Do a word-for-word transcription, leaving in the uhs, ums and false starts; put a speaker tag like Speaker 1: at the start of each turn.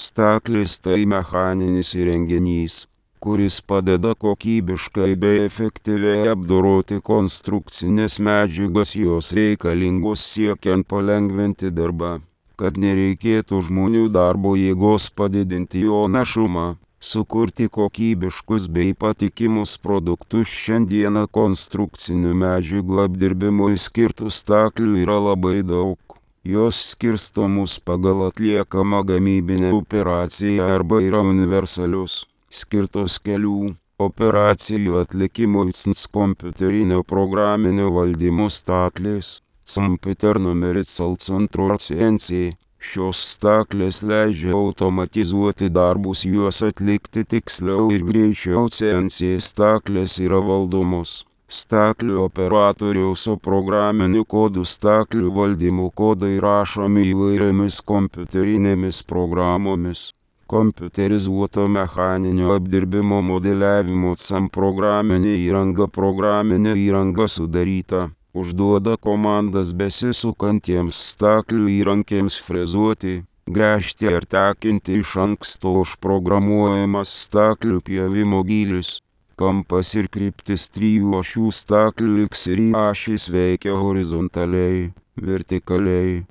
Speaker 1: Staklis tai mechaninis įrenginys, kuris padeda kokybiškai bei efektyviai apdoroti konstrukcinės medžiagas, jos reikalingos siekiant palengvinti darbą, kad nereikėtų žmonių darbo jėgos, padidinti jo našumą, sukurti kokybiškus bei patikimus produktus. Šiandieną konstrukcinių medžiagų apdirbimui skirtų staklių yra labai daug. Jos skirstomos pagal atliekamą gamybinę operaciją arba yra universalius, skirtos kelių operacijų atlikimui. Kompiuterinio programinio valdymo staklės, Computer Numerical Control C N C. Šios staklės leidžia automatizuoti darbus, juos atlikti tiksliau ir greičiau. C N C staklės yra valdomos staklių operatoriaus, o programinių kodų staklių valdymo kodai rašomi įvairiomis kompiuterinėmis programomis. Kompiuterizuoto mechaninio apdirbimo modeliavimo C A M programinė įranga. Programinė įranga sudaryta, užduoda komandas besisukantiems staklių įrankiams frezuoti, gręžti ar tekinti. Iš anksto užprogramuojamas staklių pjovimo gylis, kampas ir kryptis. Trijų ašių staklių X ir Y ašys veikia horizontaliai, vertikaliai,